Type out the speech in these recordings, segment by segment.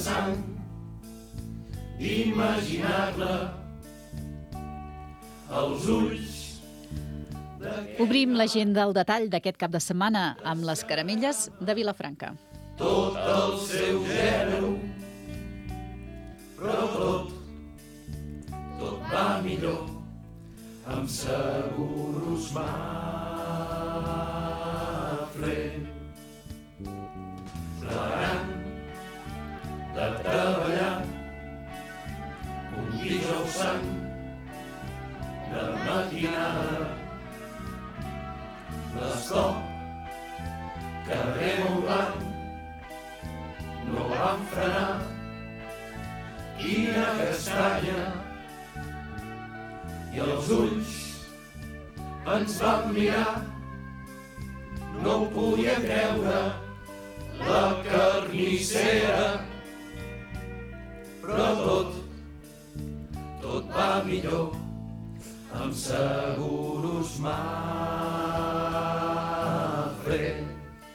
sang, imaginar-la als ulls. Obrim l'agenda al detall d'aquest cap de setmana amb les caramelles de Vilafranca. Tot el seu gènere, però tot va millor amb seguros Mafre. Plegant de treballar un dijous sant de matinada, l'estop carrer Montblanc no van frenar. Quina castanya, i els ulls ens van mirar, no ho podia creure la carnissera, però tot va millor amb seguros Mafre.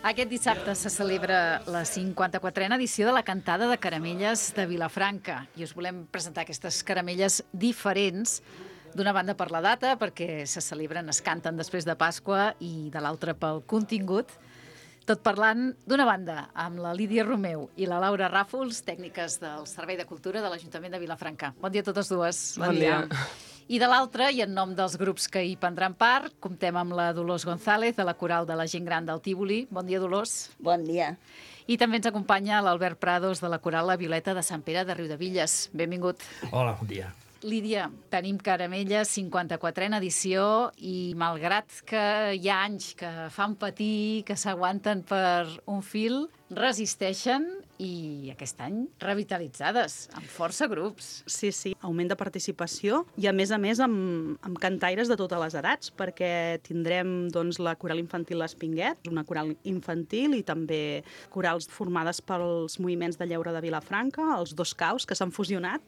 Aquest dissabte se celebra la 54a edició de la Cantada de Caramelles de Vilafranca i us volem presentar aquestes caramelles diferents, d'una banda per la data, perquè se celebren, es canten després de Pasqua, i de l'altra pel contingut. Tot parlant, d'una banda, amb la Lídia Romeu i la Laura Ràfols, tècniques del Servei de Cultura de l'Ajuntament de Vilafranca. Bon dia a totes dues. Bon dia. I de l'altra, i en nom dels grups que hi prendran part, comptem amb la Dolors González, de la Coral de la Gent Gran del Tívoli. Bon dia, Dolors. Bon dia. I també ens acompanya l'Albert Prados, de la Coral La Violeta de Sant Pere de Riudevilles. Benvingut. Hola, bon dia. Lídia, tenim Caramelles, 54a edició, i malgrat que hi ha anys que fan patir, que s'aguanten per un fil, resisteixen i aquest any revitalitzades, amb força grups. Sí, augment de participació i a més amb cantaires de totes les edats, perquè tindrem doncs, la coral infantil L'Espinguet, una coral infantil, i també corals formades pels moviments de lleure de Vilafranca, els dos caus que s'han fusionat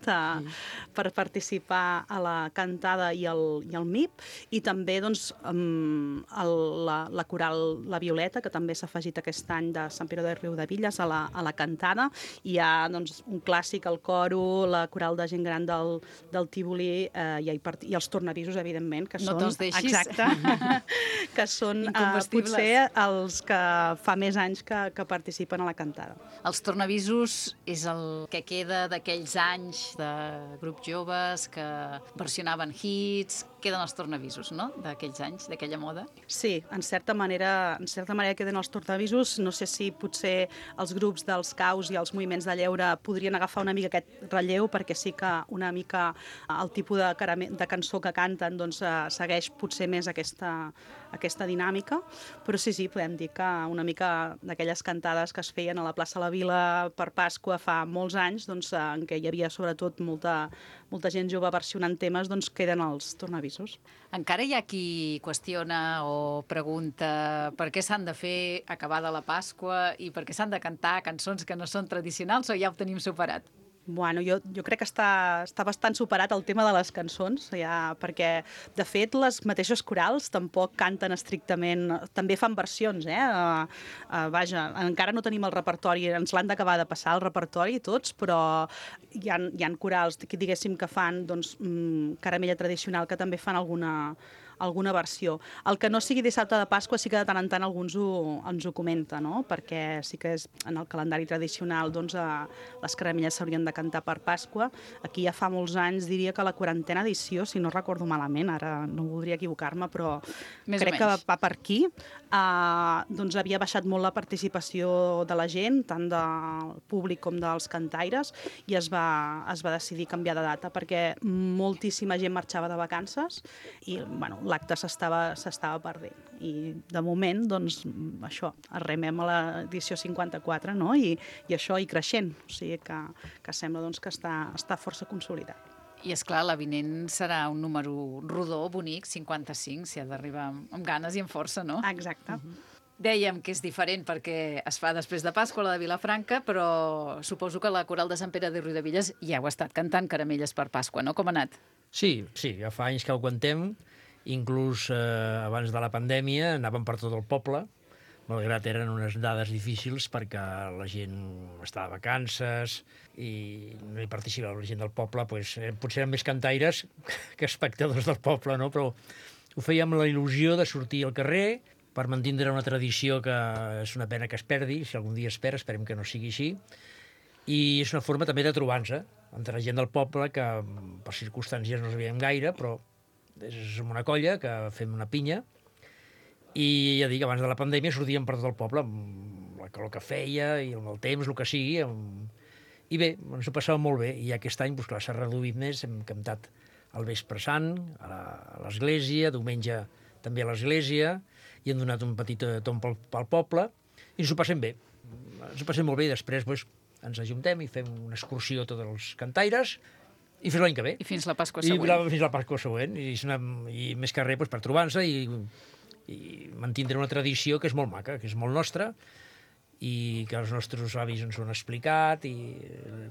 per participar a la cantada i el MIP, i també doncs, la coral La Violeta, que també s'ha afegit aquest any de Sant Pere de Riudevilles a la cantada. Hi ha doncs, un clàssic, el coro, la coral de gent gran del Tívoli i els tornavisos, evidentment, que no són... te'ls deixis. Exacte, que són potser els que fa més anys que participen a la cantada. Els tornavisos és el que queda d'aquells anys de grups joves que versionaven hits. Queden els tornavisos, no?, d'aquells anys, d'aquella moda. Sí, en certa manera queden els tornavisos. No sé si potser els grups dels caus i els moviments de lleure podrien agafar una mica aquest relleu, perquè sí que una mica el tipus de cançó que canten doncs, segueix potser més aquesta dinàmica, però sí, podem dir que una mica d'aquelles cantades que es feien a la plaça la Vila per Pasqua fa molts anys, doncs, en què hi havia sobretot molta gent jove versionant temes, doncs queden els tornavisos. Encara hi ha qui qüestiona o pregunta per què s'han de fer acabada la Pasqua i per què s'han de cantar cançons que no són tradicionals, o ja ho tenim superat? Bueno, jo crec que està bastant superat el tema de les cançons, ja, perquè, de fet, les mateixes corals tampoc canten estrictament, també fan versions, vaja, encara no tenim el repertori, ens l'han d'acabar de passar el repertori tots, però hi ha corals, diguéssim, que fan doncs, caramella tradicional, que també fan alguna versió. El que no sigui dissabte de Pasqua sí que de tant en tant alguns ens ho comenta, no? Perquè sí que és en el calendari tradicional doncs, les caramelles s'haurien de cantar per Pasqua. Aquí ja fa molts anys, diria que la 40a edició, si no recordo malament, ara no voldria equivocar-me, però crec que va per aquí, doncs havia baixat molt la participació de la gent, tant del públic com dels cantaires, i es va decidir canviar de data perquè moltíssima gent marxava de vacances i, bueno, l'acte s'estava perdent. I de moment, doncs, això, arremem a l'edició 54, no? I això i creixent. O sigui que sembla doncs, que està força consolidat. I, esclar, l'avinent serà un número rodó, bonic, 55, si ha d'arribar amb ganes i amb força, no? Exacte. Dèiem que és diferent perquè es fa després de Pasqua, la de Vilafranca, però suposo que la Coral de Sant Pere de Riudevilles ja heu estat cantant caramelles per Pasqua, no? Com ha anat? Sí, ja fa anys que ho cantem. Inclús abans de la pandèmia anàvem per tot el poble malgrat eren unes dades difícils perquè la gent estava de vacances i no hi participava la gent del poble, doncs, potser eren més cantaires que espectadors del poble, no? Però ho fèiem amb la il·lusió de sortir al carrer per mantindre una tradició que és una pena que es perdi, si algun dia es perd, esperem que no sigui així, i és una forma també de trobar-nos entre la gent del poble que per circumstàncies no sabíem gaire, però és una colla que fem una pinya. I ja dic, abans de la pandèmia sortíem per tot el poble, amb la calor que feia i amb el temps, el que sigui. I bé, ens ho passàvem molt bé. I aquest any, doncs, clar, s'ha reduït més. Hem cantat al Vespre Sant, a l'església, diumenge també a l'església, i hem donat un petit tomb pel poble, i ens ho passem bé. Ens ho passem molt bé, i després doncs, ens ajuntem i fem una excursió tots els cantaires, i fins l'any que ve. I fins la Pasqua següent. Fins la Pasqua següent. I més que res doncs, per trobar-nos i mantindre una tradició que és molt maca, que és molt nostra, i que els nostres avis ens ho han explicat, i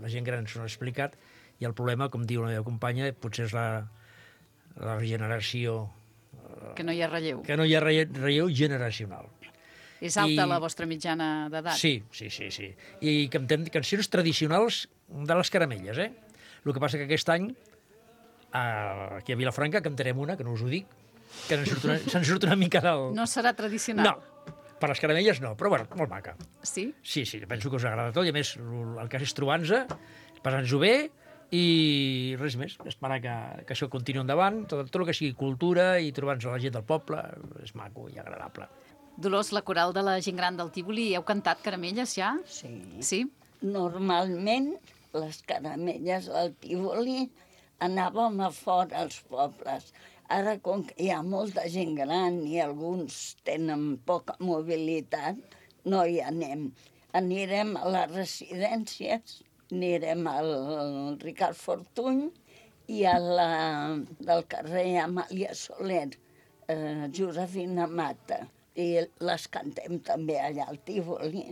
la gent gran ens ho ha explicat, i el problema, com diu la meva companya, potser és la generació... Que no hi ha relleu. Que no hi ha relleu generacional. És alta la vostra mitjana d'edat? Sí. I cantem cançons tradicionals de les caramelles, El que passa que aquest any, aquí a Vilafranca, cantarem una, que no us ho dic, que se'n surt una mica del... No serà tradicional? No, per les caramelles no, però bueno, molt maca. Sí? Sí, penso que us agrada tot, i a més el cas és trobar-nos, passar-nos-ho bé, i res més, esperar que això continuï endavant, tot el que sigui cultura i trobar-nos a la gent del poble és maco i agradable. Dolors, la coral de la gent gran del Tívoli, heu cantat caramelles ja? Sí. Sí? Normalment, les caramelles del Tívoli anàvem a fora als pobles. Ara, com que hi ha molta gent gran i alguns tenen poca mobilitat, no hi anem. Anirem a les residències, anirem al Ricard Fortuny i a la del carrer Amàlia Soler, Josefina Mata. I les cantem també allà al Tívoli,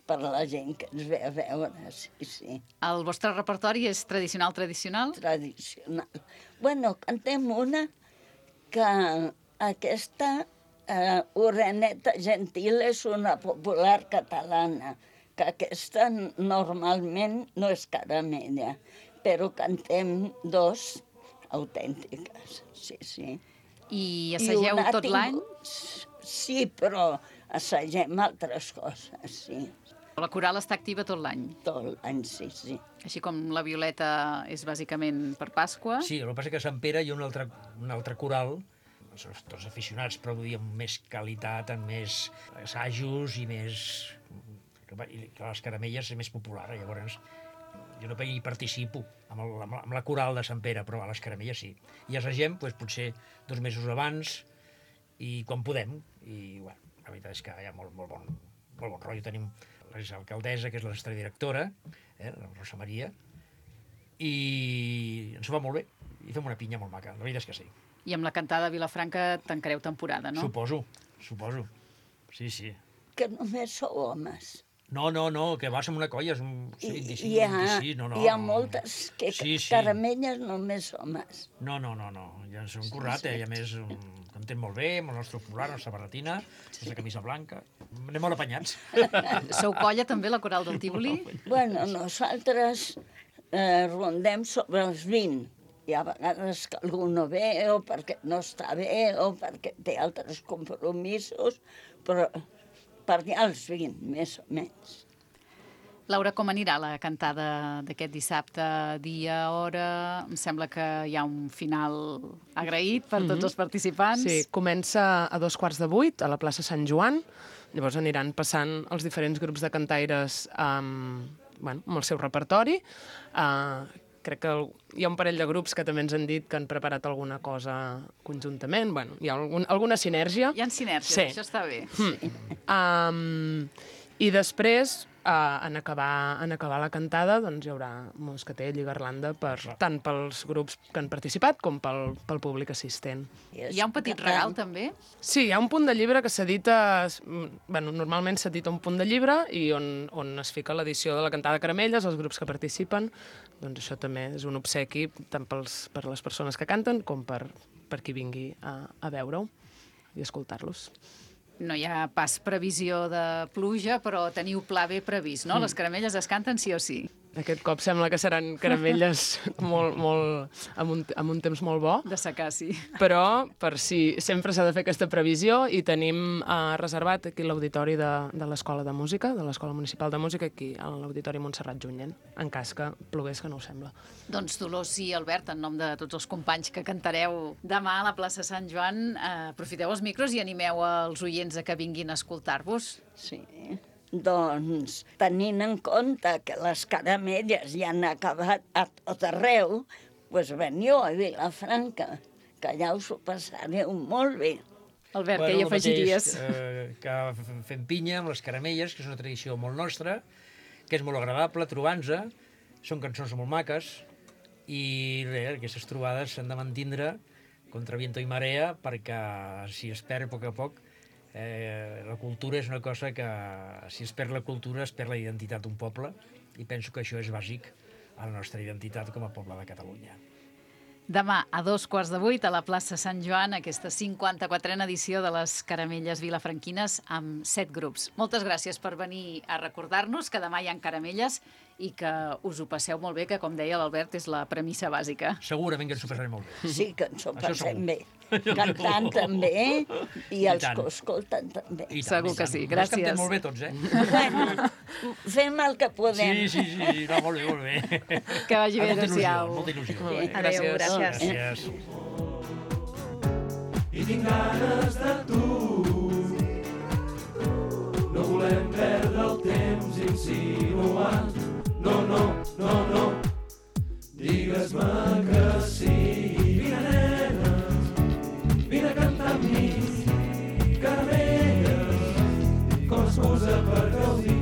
per la gent que ens ve a veure, sí. El vostre repertori és tradicional? Tradicional. Bueno, cantem una que aquesta Oreneta Gentil és una popular catalana, que aquesta normalment no és caramella, però cantem dos autèntiques, sí. I assageu tot l'any? Sí, però assagem altres coses, sí. La coral està activa tot l'any? Tot l'any, sí. Així com la Violeta és bàsicament per Pasqua? Sí, el que passa és que a Sant Pere hi ha un altre coral, tots aficionats, però amb més qualitat, amb més assajos i més... que les caramelles és més popular, llavors jo no hi participo amb la coral de Sant Pere, però a les caramelles sí. I assagem potser 2 mesos abans i quan podem, i bueno, la veritat és que hi ha molt bon rotllo. Tenim l'exalcaldessa, que és la nostra directora, la Rosa Maria, i ens ho va molt bé, i fem una pinya molt maca, la veritat és que sí. I amb la cantada de Vilafranca tancareu temporada, no? Suposo. Sí. Que només sou homes. No, que va ser una colla, és un 25, 26, no. Hi ha moltes que caramelles només homes. No, ja ens hem currat, i a més cantem molt bé, amb el nostre popular, la nostra barretina, la camisa blanca, anem molt apanyats. Sou colla també, la coral del Tívoli? Bueno, nosaltres rondem sobre els 20. Hi ha vegades que algú no ve, o perquè no està bé, o perquè té altres compromisos, però per allà els 20, més o menys. Laura, com anirà la cantada d'aquest dissabte, dia, hora? Em sembla que hi ha un final agraït per tots els participants. Sí, comença a 7:15 a la plaça Sant Joan. Llavors aniran passant els diferents grups de cantaires amb el seu repertori. Crec que hi ha un parell de grups que també ens han dit que han preparat alguna cosa conjuntament. Bueno, hi ha alguna sinergia. Hi ha sinergies, sí. Això està bé. I després, en acabar la cantada, doncs hi haurà moscatell i garlanda tant pels grups que han participat com pel públic assistent. Hi ha un petit regal, també? Sí, hi ha un punt de llibre que s'edita... normalment s'edita un punt de llibre i on es fica l'edició de la cantada de caramelles, els grups que participen. Doncs això també és un obsequi tant per les persones que canten com per qui vingui a veure-ho i escoltar-los. no hi ha pas previsió de pluja, però teniu pla B previst, no? Les caramelles es canten sí o sí. Aquest cop sembla que seran caramelles amb un temps molt bo, De secar, sí. però per si sempre s'ha de fer aquesta previsió i tenim reservat aquí l'auditori de l'Escola de Música, de l'Escola Municipal de Música, aquí a l'Auditori Montserrat Junyent, en cas que plogués, que no ho sembla. Doncs Dolors i Albert, en nom de tots els companys que cantareu demà a la plaça Sant Joan, aprofiteu els micros i animeu els oients a que vinguin a escoltar-vos. Sí. Doncs, tenint en compte que les caramelles ja han acabat a tot arreu, doncs veniu a Vilafranca, que allà us ho passareu molt bé. Albert, què hi afegiries? Que fem pinya amb les caramelles, que és una tradició molt nostra, que és molt agradable trobar-nos, són cançons molt maques, i res, aquestes trobades s'han de mantindre contra viento i marea, perquè si es perd a poc a poc, la cultura és una cosa que, si es perd la cultura, es perd la identitat d'un poble, i penso que això és bàsic a la nostra identitat com a poble de Catalunya. Demà, a 7:15, a la plaça Sant Joan, aquesta 54a edició de les Caramelles Vilafranquines amb 7 grups. Moltes gràcies per venir a recordar-nos que demà hi ha caramelles i que us ho passeu molt bé, que, com deia l'Albert, és la premissa bàsica. Segurament que ens ho passarem molt bé. Sí que ens ho Això passem segur. bé. Cantant també, i els tant. que ho escolten també. I tant, Segur i que tant. sí. Els Gràcies. cantem molt bé tots, Bueno, fem el que podem. Sí, no, molt bé, molt bé. Que vagi bé, Molta il·lusió, adéu-siau. molta il·lusió. Molt bé, Adéu, gràcies. Gràcies. I tinc ganes de tu. No volem perdre el temps insinuant. No. Digues-me que sí. Vine, nenes, vine a cantar amb mi. Caramelles, com excusa per gaudir.